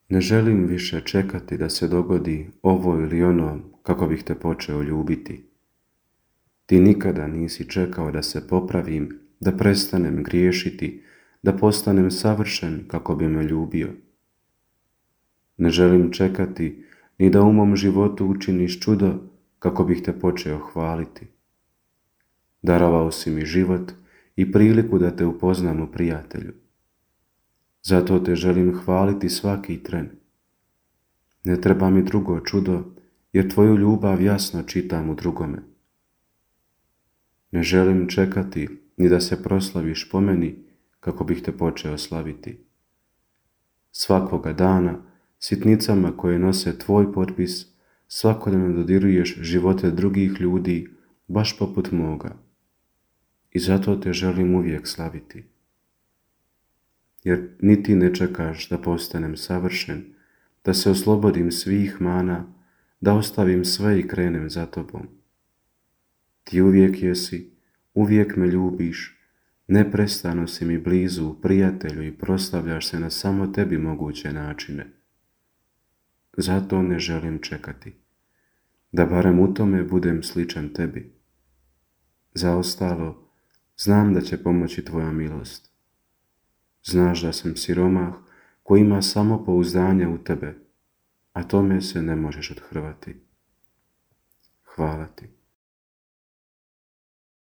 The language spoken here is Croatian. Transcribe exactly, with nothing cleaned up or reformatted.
Ne želim više čekati da se dogodi ovo ili ono kako bih te počeo ljubiti. Ti nikada nisi čekao da se popravim, da prestanem griješiti, da postanem savršen kako bi me ljubio. Ne želim čekati ni da u mom životu učiniš čudo kako bih te počeo hvaliti. Darovao si mi život i priliku da te upoznam u prijatelju. Zato te želim hvaliti svaki tren. Ne treba mi drugo čudo, jer tvoju ljubav jasno čitam u drugome. Ne želim čekati ni da se proslaviš po meni kako bih te počeo slaviti. Svakoga dana, sitnicama koje nose tvoj potpis, svakodnevno dodiruješ živote drugih ljudi, baš poput moga. I zato te želim uvijek slaviti. Jer ni ti ne čekaš da postanem savršen, da se oslobodim svih mana, da ostavim sve i krenem za tobom. Ti uvijek jesi, uvijek me ljubiš, neprestano si mi blizu, prijatelju, i proslavljaš se na samo tebi moguće načine. Zato ne želim čekati, da barem u tome budem sličan tebi. Za ostalo, znam da će pomoći tvoja milost. Znaš da sam siromah koji ima samo pouzdanje u tebe, a tome se ne možeš othrvati. Hvala ti.